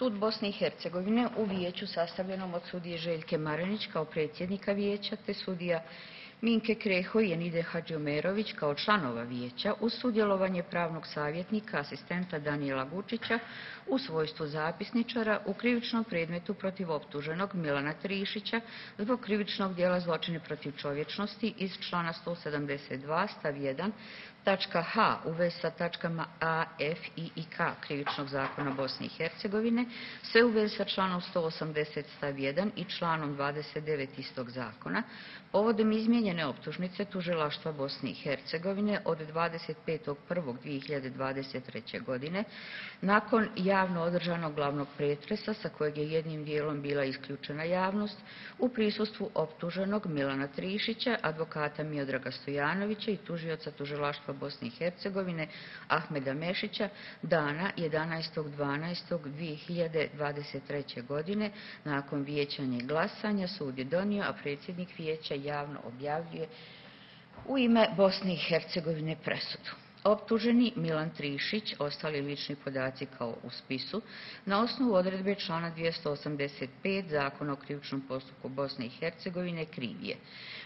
Sud Bosne i Hercegovine u vijeću sastavljenom od sudije Željke Marenić kao predsjednika vijeća te sudija Minke Kreho i Enide Hadžiomerović kao članova vijeća uz sudjelovanje pravnog savjetnika, asistenta Danijela Gučića u svojstvu zapisničara u krivičnom predmetu protiv optuženog Milana Trišića zbog krivičnog djela zločine protiv čovječnosti iz člana 172 stav 1 tačka H u vezi sa tačkama A, F, I i K Krivičnog zakona Bosne i Hercegovine, sve u vezi sa članom 180 stav 1 i članom 29 istog zakona, povodom izmijenjene optužnice tužilaštva Bosne i Hercegovine od 25.1.2023. godine, nakon javno održanog glavnog pretresa sa kojeg je jednim dijelom bila isključena javnost, u prisustvu optuženog Milana Trišića, advokata Miodraga Stojanovića i tužioca tužilaštva Bosne i Hercegovine Ahmeda Mešića dana 11.12.2023. godine. Nakon vijećanja i glasanja sud je donio, a predsjednik vijeća javno objavljuje u ime Bosne i Hercegovine presudu. Optuženi Milan Trišić, ostali lični podaci kao u spisu, na osnovu odredbe člana 285 Zakona o krivičnom postupku Bosne i Hercegovine kriv je,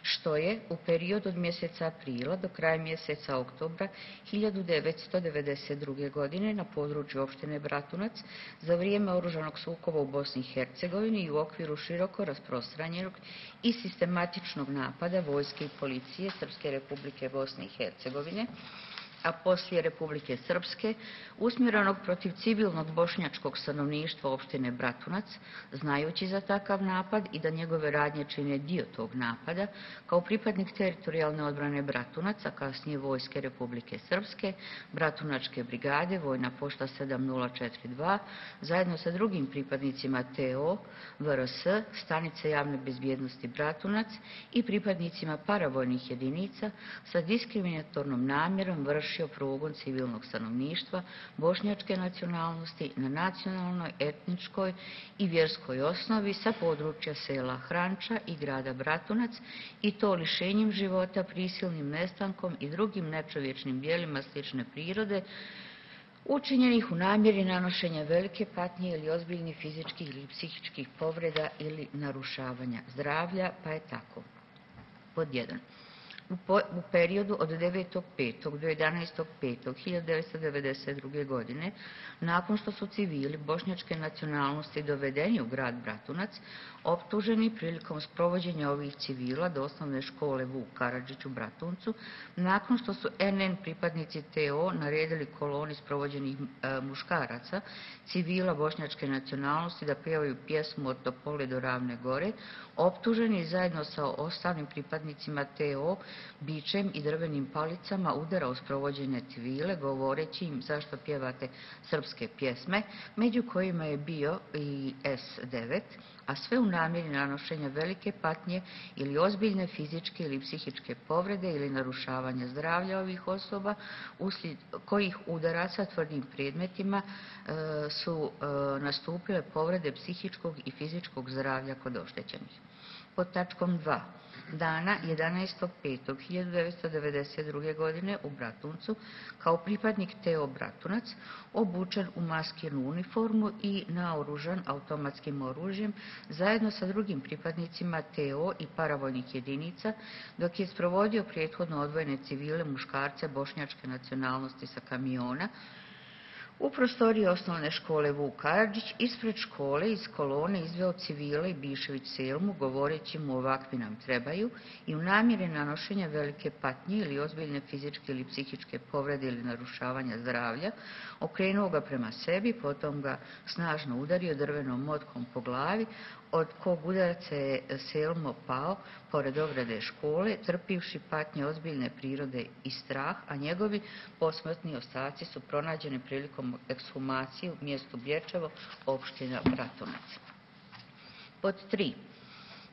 što je u periodu od mjeseca aprila do kraja mjeseca oktobra 1992. godine na području opštine Bratunac za vrijeme oružanog sukoba u Bosni i Hercegovini i u okviru široko rasprostranjenog i sistematičnog napada vojske i policije Srpske Republike Bosne i Hercegovine, a poslije Republike Srpske, usmjerenog protiv civilnog bošnjačkog stanovništva opštine Bratunac, znajući za takav napad i da njegove radnje čine dio tog napada, kao pripadnik teritorijalne odbrane Bratunac, a kasnije vojske Republike Srpske, Bratunačke brigade, vojna pošta 7042, zajedno sa drugim pripadnicima TO, VRS, stanice javne bezbjednosti Bratunac i pripadnicima paravojnih jedinica sa diskriminatornom namjerom vršio progon civilnog stanovništva bošnjačke nacionalnosti na nacionalnoj, etničkoj i vjerskoj osnovi sa područja sela Hranča i grada Bratunac i to lišenjem života, prisilnim nestankom i drugim nečovječnim djelima slične prirode učinjenih u namjeri nanošenja velike patnje ili ozbiljnih fizičkih ili psihičkih povreda ili narušavanja zdravlja, pa je tako. Pod 1. U periodu od 9.5. do 11.5.1992. godine, nakon što su civili bošnjačke nacionalnosti dovedeni u grad Bratunac, optuženi prilikom sprovođenja ovih civila do osnovne škole Vuk Karadžić u Bratuncu, nakon što su NN pripadnici TO naredili koloni sprovođenih muškaraca, civila bošnjačke nacionalnosti da pjevaju pjesmu od Topole do Ravne gore, optuženi zajedno sa ostalim pripadnicima TO bičem i drvenim palicama udara u sprovođenje civile, govoreći im zašto pjevate srpske pjesme, među kojima je bio i S9, a sve u namjeri nanošenja velike patnje ili ozbiljne fizičke ili psihičke povrede ili narušavanja zdravlja ovih osoba, uslijed kojih udaraca tvrdim predmetima su nastupile povrede psihičkog i fizičkog zdravlja kod oštećenih. Pod tačkom 2. Dana 11.5.1992. godine u Bratuncu, kao pripadnik TO Bratunac, obučen u maskirnu uniformu i naoružan automatskim oružjem, zajedno sa drugim pripadnicima TO i paravojnih jedinica, dok je sprovodio prethodno odvojene civile muškarce bošnjačke nacionalnosti sa kamiona, u prostoriji osnovne škole Vuk Karadžić ispred škole iz kolone izveo civile i Bišević Selmu, govoreći mu ovakvi nam trebaju i u namjeri nanošenja velike patnje ili ozbiljne fizičke ili psihičke povrede ili narušavanja zdravlja, okrenuo ga prema sebi, potom ga snažno udario drvenom motkom po glavi, od kog udarca je Selmo pao pored ograde škole, trpivši patnje ozbiljne prirode i strah, a njegovi posmrtni ostaci su pronađeni prilikom ekshumacije u mjestu Bječevo, opština Bratunac. Pod 3.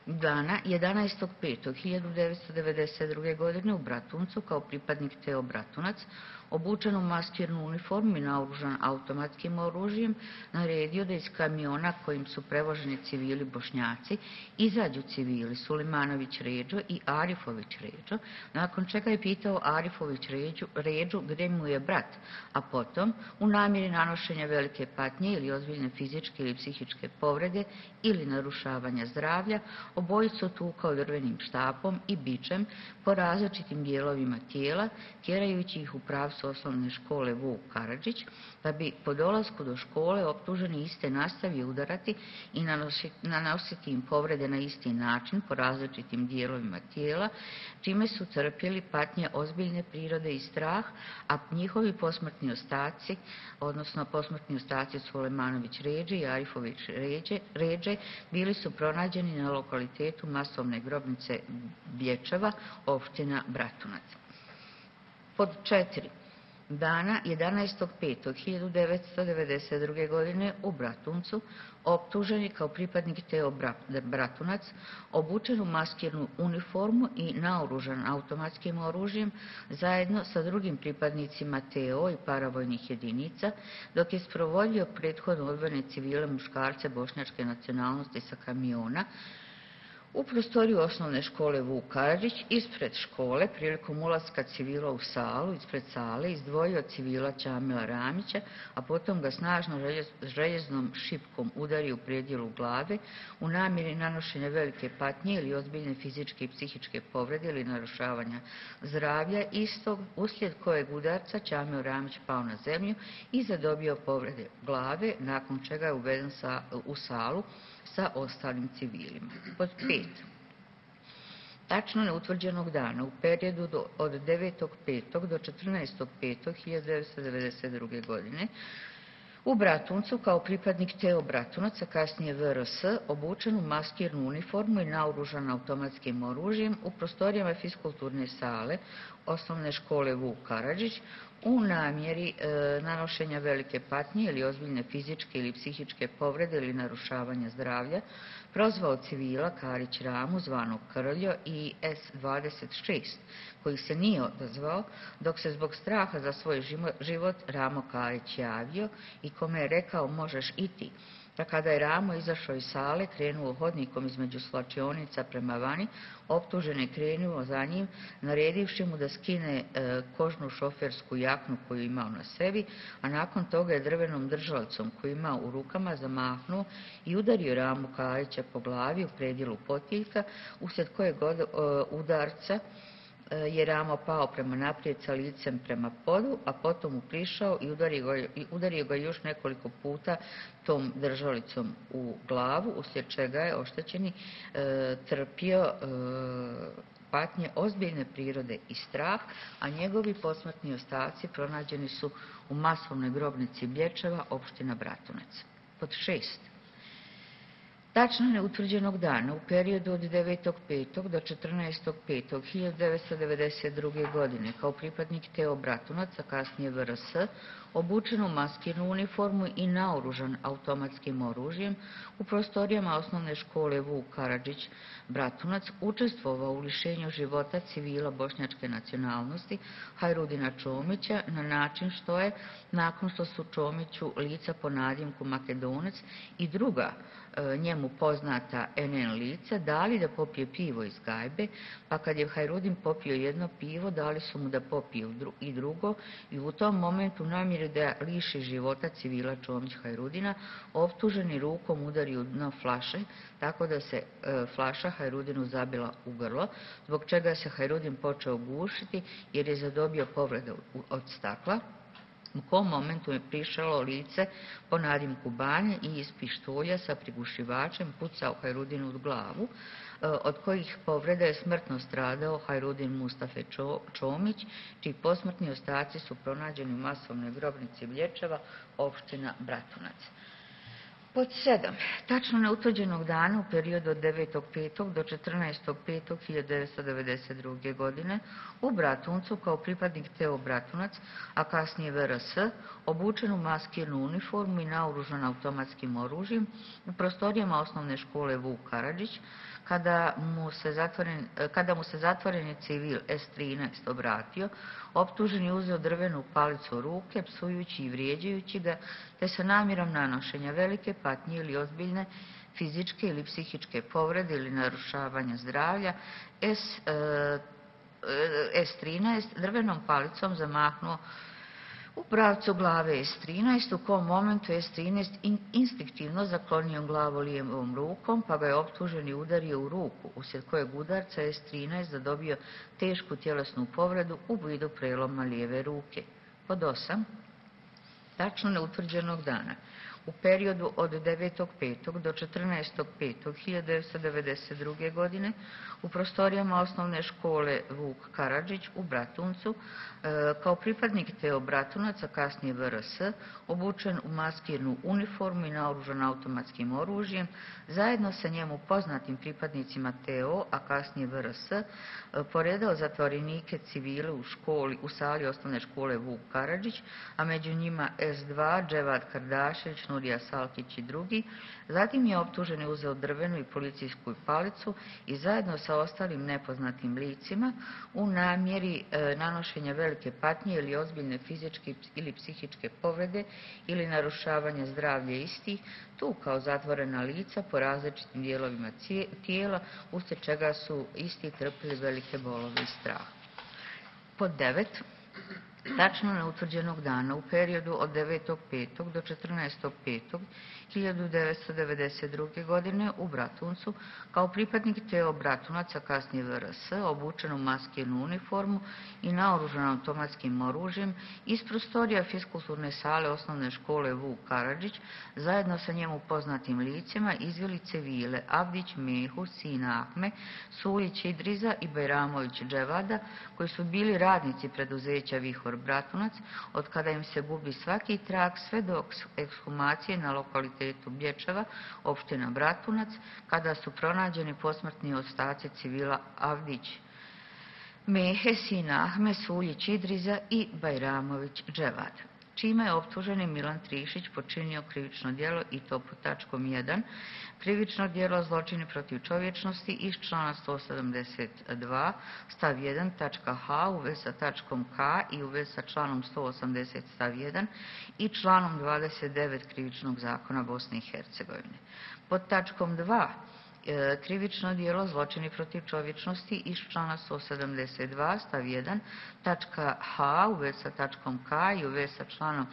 Dana 11.5.1992. godine u Bratuncu kao pripadnik TO Bratunac, obučen u maskirnu uniformu i naoružan automatskim oružjem, naredio da iz kamiona kojim su prevoženi civili Bošnjaci izađu civili Sulimanović Ređo i Arifović Ređo, nakon čega je pitao Arifović Ređu gdje mu je brat, a potom, u namjeri nanošenja velike patnje ili ozbiljne fizičke ili psihičke povrede ili narušavanja zdravlja, obojicu tukao drvenim štapom i bičem po različitim dijelovima tijela, tjerajući ih u pravcu osnovne škole Vuk Karadžić, da bi po dolasku do škole optuženi iste nastavio udarati i nanositi im povrede na isti način po različitim dijelovima tijela, čime su trpjeli patnje ozbiljne prirode i strah, a njihovi posmrtni ostaci, odnosno posmrtni ostaci Sulemanović Ređe i Arifović Ređe, bili su pronađeni na lokalitetu masovne grobnice Blječeva, opština Bratunac. Pod 4. Dana 11.5.1992. godine u Bratuncu, optuženi kao pripadnik TO Bratunac, obučen u maskirnu uniformu i naoružan automatskim oružjem, zajedno sa drugim pripadnicima TO i paravojnih jedinica, dok je sprovodio prethodno odvojene civile muškarce bošnjačke nacionalnosti sa kamiona, u prostoriju osnovne škole Vuk Karadžić ispred škole prilikom ulaska civila u salu, ispred sale, izdvojio civila Čamila Ramića, a potom ga snažno željeznom šipkom udario u predjelu glave u namjeri nanošenja velike patnje ili ozbiljne fizičke i psihičke povrede ili narušavanja zdravlja istog, uslijed kojeg udarca Čamil Ramić pao na zemlju i zadobio povrede glave, nakon čega je uveden u salu sa ostalim civilima. Pod 5. Tačno neutvrđenog dana u periodu od 9.5. do 14.5.1992. godine u Bratuncu kao pripadnik TO Bratunac, a kasnije VRS, obučen u maskirnu uniformu i naoružan automatskim oružjem u prostorijama fiskulturne sale osnovne škole Vuk Karadžić u namjeri nanošenja velike patnje ili ozbiljne fizičke ili psihičke povrede ili narušavanja zdravlja, prozvao civila Karić Ramu, zvanog Krljo, i S-26, koji se nije odazvao, dok se zbog straha za svoj život Ramo Karić javio i kome je rekao možeš i ti. Pa kada je Ramo izašao iz sale, krenuo hodnikom između slačionica prema vani, optužen je krenuo za njim, naredivši mu da skine kožnu šofersku jaknu koju imao na sebi, a nakon toga je drvenom držalicom koju imao u rukama zamahnuo i udario Ramu Karića po glavi u predjelu potiljka, uslijed kojeg udarca je Ramo pao prema naprijed sa licem prema podu, a potom mu prišao i udario ga još nekoliko puta tom držalicom u glavu, uslijed čega je oštećeni trpio patnje ozbiljne prirode i strah, a njegovi posmrtni ostaci pronađeni su u masovnoj grobnici Blječeva, opština Bratunac. Pod 6. Tačno neutvrđenog dana u periodu od 9.5. do 14.5.1992. godine kao pripadnik TO Bratunac, a kasnije VRS, obučen u maskirnu uniformu i naoružan automatskim oružjem u prostorijama osnovne škole Vuk Karadžić Bratunac, učestvovao u lišenju života civila bošnjačke nacionalnosti Hajrudina Čomića na način što je, nakon što su Čomiću lica po nadimku Makedonac i druga njemu poznata NN lica dali da popije pivo iz gajbe, pa kad je Hajrudin popio jedno pivo, dali su mu da popije i drugo i u tom momentu namjeri da liši života civila Čomić Hajrudina, optuženi rukom udario u dno flaše, tako da se flaša Hajrudinu zabila u grlo, zbog čega se Hajrudin počeo gušiti jer je zadobio povrede od stakla. U kom momentu je prišalo lice po nadimku Banje i iz pištolja sa prigušivačem pucao Hajrudinu u glavu, od kojih povreda je smrtno stradao Hajrudin Mustafe Čomić, čiji posmrtni ostaci su pronađeni u masovnoj grobnici Blječeva, opština Bratunac. Pod 7. Tačno neutvrđenog dana u periodu od 9.5. do 14.5.1992. godine u Bratuncu kao pripadnik TO Bratunac, a kasnije VRS, obučen u maskirnu uniformu i naoružan automatskim oružjem u prostorijama osnovne škole Vuk Karadžić, kada mu se zatvoreni civil S13 obratio, optuženi uzeo drvenu palicu u ruke, psujući i vrijeđajući ga, te sa namjerom nanošenja velike patnje ili ozbiljne fizičke ili psihičke povrede ili narušavanja zdravlja, S13 drvenom palicom zamahnuo u pravcu glave S13, u kom momentu S13 instinktivno zaklonio glavu lijevom rukom, pa ga je optuženi udario u ruku, uslijed kojeg udarca S13 zadobio tešku tjelesnu povredu u vidu preloma lijeve ruke. Pod 8. Tačno neutvrđenog dana u periodu od 9.5. do 14.5.1992. godine u prostorijama osnovne škole Vuk Karadžić u Bratuncu kao pripadnik TO Bratunac, a kasnije VRS, obučen u maskirnu uniformu i naoružan automatskim oružjem, zajedno sa njemu poznatim pripadnicima TO, a kasnije VRS, poredao zatvorenike civile u sali osnovne škole Vuk Karadžić, a među njima S2, Dževad Kardašević, Nurija Salkić i drugi. Zatim je optuženi uzeo drvenu i policijsku palicu i zajedno sa ostalim nepoznatim licima u namjeri nanošenja velike patnje ili ozbiljne fizičke ili psihičke povrede ili narušavanja zdravlja istih, tu kao zatvorena lica po različitim dijelovima tijela, uslijed čega su isti trpili velike bolove i strah. Pod 9. Tačno neutvrđenog dana u periodu od 9.5. do 14.5.1992. godine u Bratuncu kao pripadnik TO Bratunac, a kasnije VRS, obučen u maskirnu uniformu i naoružan automatskim oružjem iz prostorija fiskulturne sale osnovne škole Vuk Karadžić, zajedno sa njemu poznatim licima izveli civile Avdić Mehu, Sina Ahme, Suljić Idriza i Bajramović Dževada, koji su bili radnici preduzeća Vihor Bratunac, od kada im se gubi svaki trag sve do ekshumacije na lokalitetu Blječeva, opština Bratunac, kada su pronađeni posmrtni ostaci civila Avdić Mehe, Sina Ahme, Suljić Idriza i Bajramović Dževad, čime je optuženi Milan Trišić počinio krivično djelo, i to pod tačkom 1. krivično djelo zločini protiv čovječnosti iz člana 172 stav 1 tačka H u vezi sa tačkom K i u vezi sa članom 180 stav 1 i članom 29 krivičnog zakona Bosne i Hercegovine. Pod tačkom 2 krivično djelo zločini protiv čovječnosti iz člana 172 stav 1 tačka H u vezi sa tačkom K i u vezi sa članom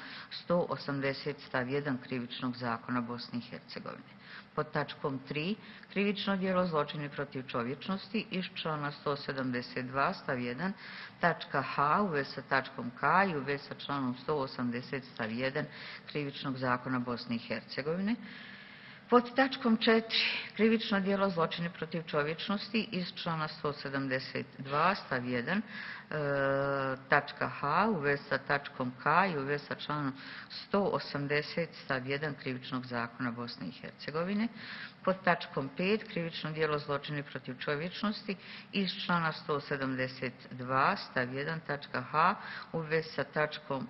180 stav 1 krivičnog zakona Bosne i Hercegovine. Pod tačkom 3 krivično djelo zločini protiv čovječnosti iz člana 172 stav 1 tačka H u vezi sa tačkom K i u vezi sa članom 180 stav 1 krivičnog zakona Bosne i Hercegovine. Pod tačkom 4 krivično djelo zločini protiv čovječnosti iz člana 172 stav 1 tačka H u vezi sa tačkom K i u vezi sa članom 180 stav 1 krivičnog zakona Bosne i Hercegovine. Pod tačkom 5 krivično djelo zločini protiv čovječnosti iz člana 172 stav 1 tačka H u vezi sa tačkom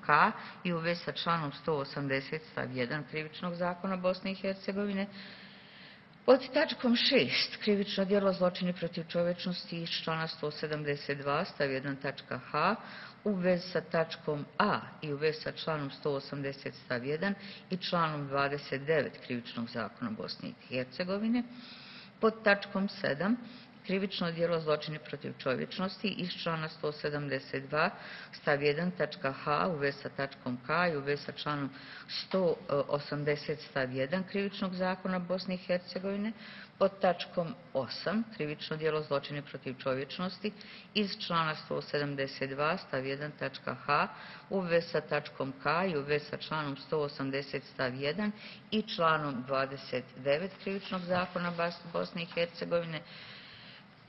K i u vezi sa članom 180 stav 1 krivičnog zakona Bosne i Hercegovine. Pod tačkom 6 krivično djelo zločini protiv čovječnosti iz člana 172 stav 1 tačka H u vezi sa tačkom A i u vezi sa članom 180 stav 1 i članom 29 krivičnog zakona Bosne i Hercegovine. Pod tačkom 7 krivično djelo zločini protiv čovječnosti iz člana 172 stav 1 tačka H u vezi sa tačkom K i u vezi sa članom 180 stav 1 krivičnog zakona Bosne i Hercegovine. Pod tačkom 8 krivično djelo zločini protiv čovječnosti iz člana 172 stav 1 tačka H u vezi sa tačkom K i u vezi sa članom 180 stav 1 i članom 29 krivičnog zakona Bosne i Hercegovine.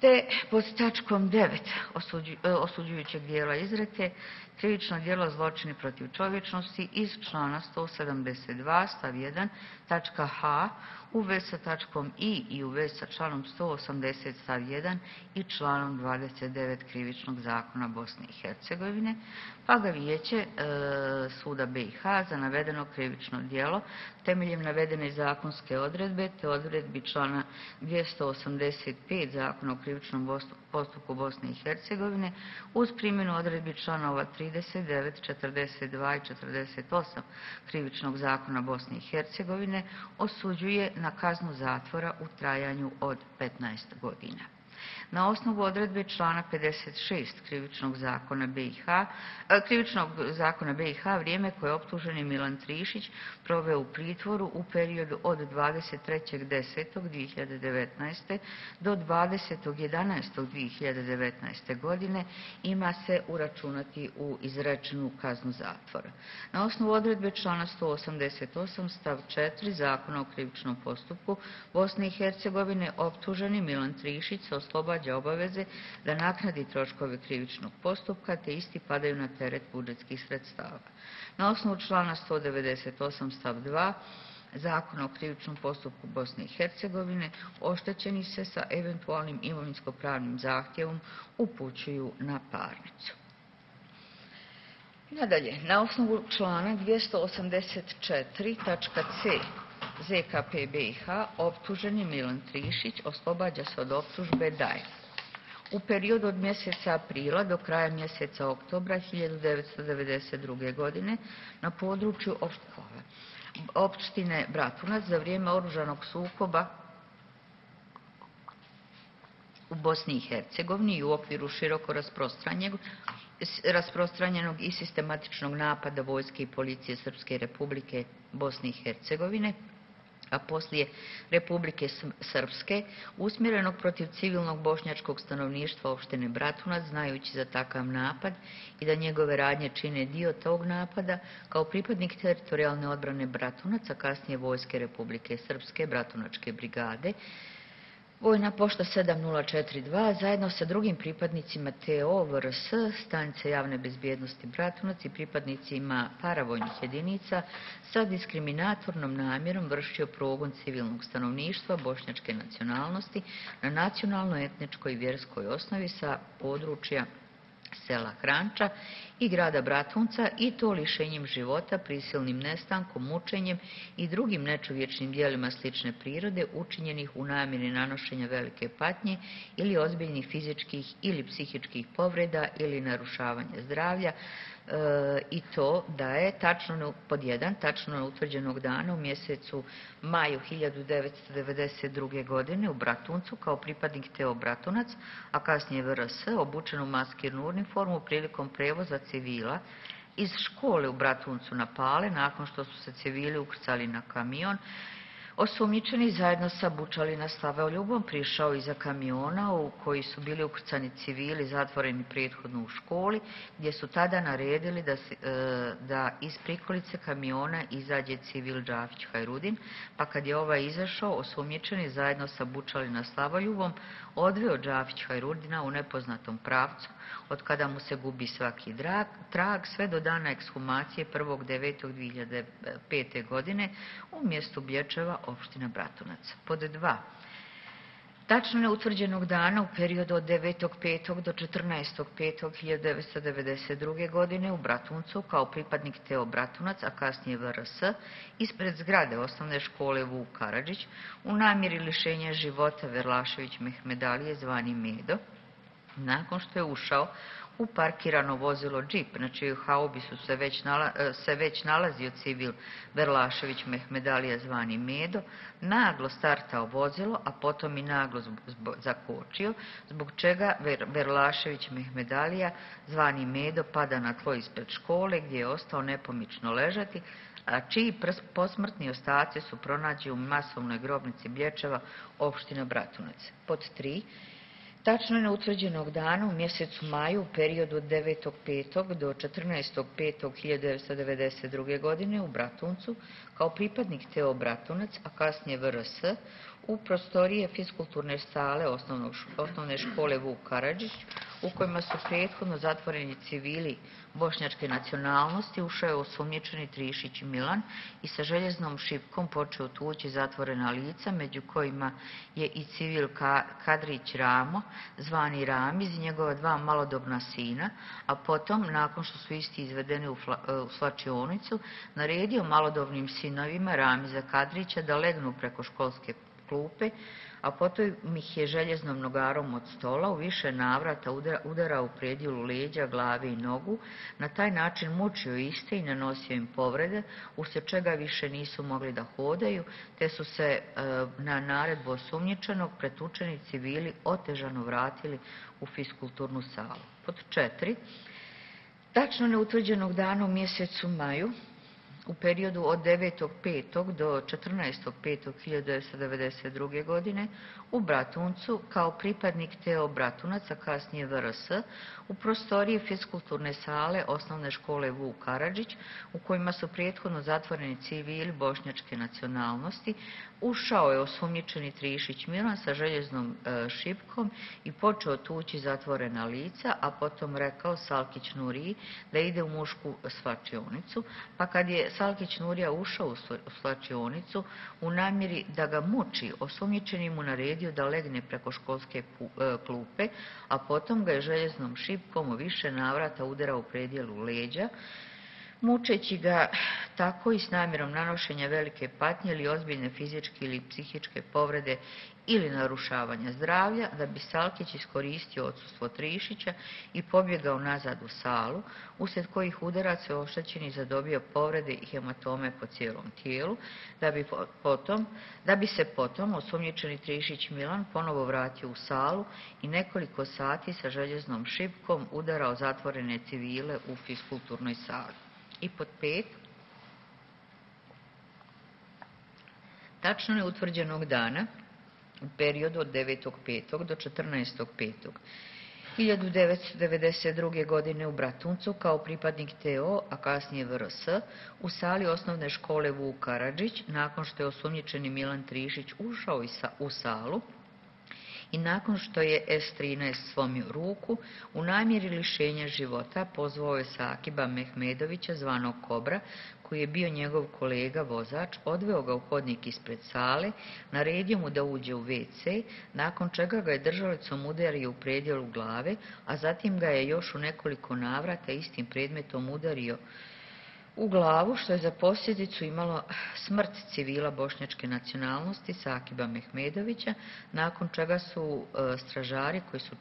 te pod tačkom 9 osuđujućeg dijela izreke krivično djelo zločini protiv čovječnosti iz člana 172 stav 1 tačka h u vezi sa tačkom i u vezi sa članom 180 stav 1 i članom 29 krivičnog zakona Bosne i Hercegovine, pa ga Vijeće suda BiH za navedeno krivično djelo temeljem navedene zakonske odredbe te odredbi člana 285 Zakona o krivičnom postupku Bosne i Hercegovine uz primjenu odredbi članova 39, 42 i 48 krivičnog zakona Bosne i Hercegovine osuđuje na kaznu zatvora u trajanju od 15 godina. Na osnovu odredbe člana 56 krivičnog zakona BiH vrijeme koje je optuženi Milan Trišić proveo u pritvoru u periodu od 23.10.2019. do 20.11.2019. godine ima se uračunati u izrečenu kaznu zatvora. Na osnovu odredbe člana 188 stav 4 Zakona o krivičnom postupku Bosne i Hercegovine optuženi Milan Trišić se oslobađa obaveze da naknadi troškove krivičnog postupka te isti padaju na teret budžetskih sredstava. Na osnovu člana 198 stav 2 Zakona o krivičnom postupku Bosne i Hercegovine oštećeni se sa eventualnim imovinsko-pravnim zahtjevom upućuju na parnicu. Nadalje, na osnovu člana 284 tačka c ZKP BiH optuženi Milan Trišić oslobađa se od optužbe da je u periodu od mjeseca aprila do kraja mjeseca oktobra 1992. godine na području opštine Bratunac za vrijeme oružanog sukoba u Bosni i Hercegovini i u okviru široko rasprostranjenog i sistematičnog napada vojske i policije Srpske Republike Bosne i Hercegovine, a poslije Republike Srpske, usmjerenog protiv civilnog bošnjačkog stanovništva opštine Bratunac, znajući za takav napad i da njegove radnje čine dio tog napada, kao pripadnik teritorijalne odbrane Bratunac, a kasnije vojske Republike Srpske, Bratunačke brigade, Vojna pošta 7042 zajedno sa drugim pripadnicima TO, VRS, stanice javne bezbjednosti Bratunac i pripadnicima paravojnih jedinica sa diskriminatornom namjerom vršio progon civilnog stanovništva bošnjačke nacionalnosti na nacionalno-etničkoj i vjerskoj osnovi sa područja sela Hranča i grada Bratunca i to lišenjem života, prisilnim nestankom, mučenjem i drugim nečovječnim djelima slične prirode učinjenih u namjeri nanošenja velike patnje ili ozbiljnih fizičkih ili psihičkih povreda ili narušavanja zdravlja i to da je tačno pod 1, tačno utvrđenog dana u mjesecu maju 1992. godine u Bratuncu kao pripadnik TO Bratunac, a kasnije VRS, obučen u maskirnu uniformu prilikom prevoza civila iz škole u Bratuncu na Pale, nakon što su se civili ukrcali na kamion, osumnjičeni zajedno sa Bučalina Slavoljubom prišao iza kamiona u koji su bili ukrcani civili zatvoreni prethodno u školi, gdje su tada naredili da iz prikolice kamiona izađe civil Džafić Hajrudin, pa kad je ovaj izašao, osumnjičeni zajedno sa Bučalina Slavoljubom odveo Džafić Hajrudina u nepoznatom pravcu, od kada mu se gubi svaki trag, sve do dana ekshumacije 1.9.2005. godine u mjestu Bječeva, opština Bratunac. Pod 2. Tačno neutvrđenog dana u periodu od 9.5. do 14.5.1992. godine u Bratuncu kao pripadnik TO Bratunac, a kasnije VRS, ispred zgrade osnovne škole Vuk Karadžić u namjeri lišenja života Verlašević Mehmedalije zvani Medo, nakon što je ušao u parkirano vozilo džip, na čijoj haubi se već nalazio civil Verlašević Mehmedalija zvani Medo, naglo startao vozilo, a potom i naglo zakočio, zbog čega Verlašević Mehmedalija zvani Medo pada na tlo ispred škole gdje je ostao nepomično ležati, a čiji posmrtni ostaci su pronađeni u masovnoj grobnici Blječeva, opština Bratunac. Pod 3. Tačno je neutvrđenog dana u mjesecu maju u periodu od 9.5. do 14.5.1992. godine u Bratuncu kao pripadnik TO Bratunac, a kasnije VRS, u prostorije fiskulturne sale osnovne škole Vuk Karadžić, u kojima su prethodno zatvoreni civili bošnjačke nacionalnosti, ušao je osumnjičeni Trišić Milan i sa željeznom šipkom počeo tući zatvorena lica, među kojima je i civil Kadrić Ramo, zvani Ramiz, i njegova dva malodobna sina, a potom, nakon što su isti izvedeni u svlačionicu, naredio malodobnim sinovima Ramiza Kadrića da legnu preko školske klupe, a potom ih je željeznom nogarom od stola u više navrata udarao u predjelu leđa, glave i nogu, na taj način mučio iste i nanosio im povrede, uslijed čega više nisu mogli da hodaju, te su se na naredbu osumnjičenog pretučeni civili otežano vratili u fiskulturnu salu. Pod 4. Tačno neutvrđenog dana u mjesecu maju u periodu od 9.5. do 14.5.1992. godine u Bratuncu kao pripadnik TO Bratunac, a kasnije VRS, u prostoriji fiskulturne sale osnovne škole Vuk Karadžić, u kojima su prethodno zatvoreni civili bošnjačke nacionalnosti, ušao je osumnjičeni Trišić Milan sa željeznom šipkom i počeo tući zatvorena lica, a potom rekao Salkić Nuriji da ide u mušku svlačionicu, pa kad je Salkić Nurija ušao u svlačionicu u namjeri da ga muči, osumnjičeni mu naredio da legne preko školske klupe, a potom ga je željeznom šipkom u više navrata udarao u predjelu leđa, mučeći ga tako i s namjerom nanošenja velike patnje ili ozbiljne fizičke ili psihičke povrede ili narušavanja zdravlja, da bi Salkić iskoristio odsustvo Trišića i pobjegao nazad u salu, uslijed kojih udaraca je oštećeni zadobio povrede i hematome po cijelom tijelu, da bi se potom osumnjičeni Trišić Milan ponovo vratio u salu i nekoliko sati sa željeznom šipkom udarao zatvorene civile u fiskulturnoj sali. I pod 5. Tačno neutvrđenog dana u periodu od 9.5. do 14.5.1992. godine u Bratuncu kao pripadnik TO, a kasnije VRS, u sali osnovne škole Vuk Karadžić, nakon što je osumnjičeni Milan Trišić ušao u salu i nakon što je S13 slomio ruku, u namjeri lišenja života pozvao je Sakiba Mehmedovića, zvanog Kobra, koji je bio njegov kolega vozač, odveo ga u hodnik ispred sale, naredio mu da uđe u WC, nakon čega ga je držalicom udario u predjelu glave, a zatim ga je još u nekoliko navrata istim predmetom udario u glavu, što je za posljedicu imalo smrt civila bošnjačke nacionalnosti Sakiba Mehmedovića, nakon čega su stražari koji su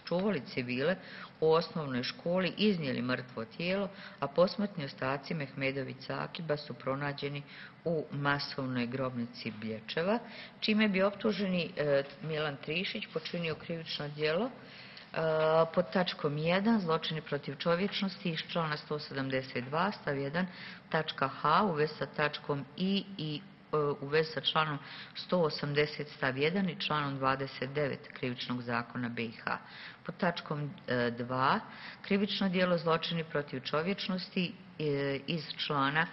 čuvali civile u osnovnoj školi iznijeli mrtvo tijelo, a posmrtni ostaci Mehmedović Sakiba su pronađeni u masovnoj grobnici Blječeva, čime bi optuženi Milan Trišić počinio krivično djelo pod tačkom 1 zločini protiv čovječnosti iz člana 172 stav 1 tačka H u vezi sa tačkom I u vezi sa članom 180 stav 1 i članom 29 krivičnog zakona BiH. Pod tačkom 2 krivično djelo zločini protiv čovječnosti iz člana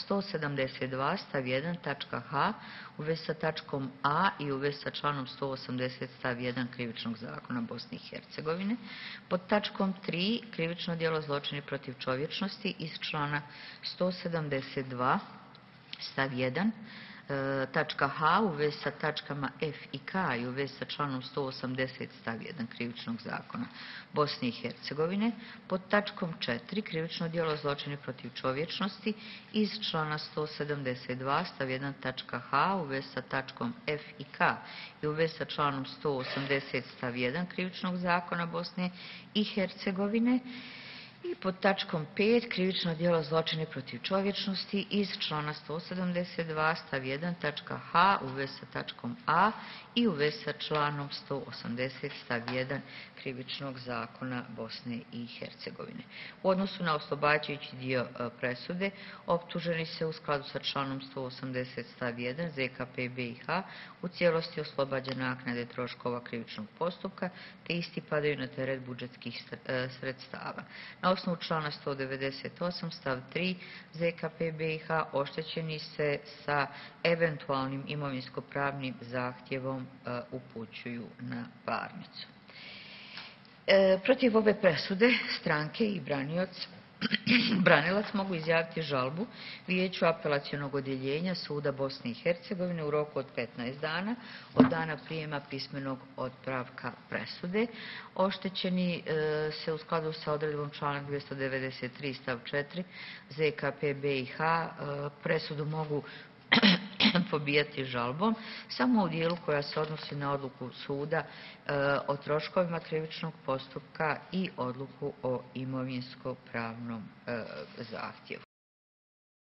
172 stav 1 tačka H u vezi sa tačkom A i u vezi sa članom 180 stav 1 krivičnog zakona Bosne i Hercegovine. Pod tačkom 3 krivično djelo zločini protiv čovječnosti iz člana 172 stav 1 tačka H u vezi sa tačkama F i K i u vezi sa članom 180 stav 1 krivičnog zakona Bosne i Hercegovine. Pod tačkom 4 krivično djelo zločini protiv čovječnosti iz člana 172 stav 1 tačka H u vezi sa tačkom F i K i u vezi sa članom 180 stav 1 krivičnog zakona Bosne i Hercegovine. I pod tačkom 5 krivično djelo zločine protiv čovječnosti iz člana 172 stav 1 tačka H u vezi sa tačkom A i u vezi sa članom 180 stav 1 krivičnog zakona Bosne i Hercegovine. U odnosu na oslobađajući dio presude, optuženi se u skladu sa članom 180 stav 1 ZKP BiH u cijelosti oslobađa naknade troškova krivičnog postupka, te isti padaju na teret budžetskih sredstava. Na osnovu člana 198 stav 3 ZKP BiH oštećeni se sa eventualnim imovinsko-pravnim zahtjevom upućuju na parnicu. Protiv ove presude stranke i branilac mogu izjaviti žalbu Vijeću apelacionog odjeljenja Suda Bosne i Hercegovine u roku od 15 dana od dana prijema pismenog otpravka presude. Oštećeni se u skladu sa odredbom članak 293 stav 4 ZKP BiH presudu mogu pobijati žalbom samo u dijelu koja se odnosi na odluku suda o troškovima krivičnog postupka i odluku o imovinsko-pravnom zahtjevu.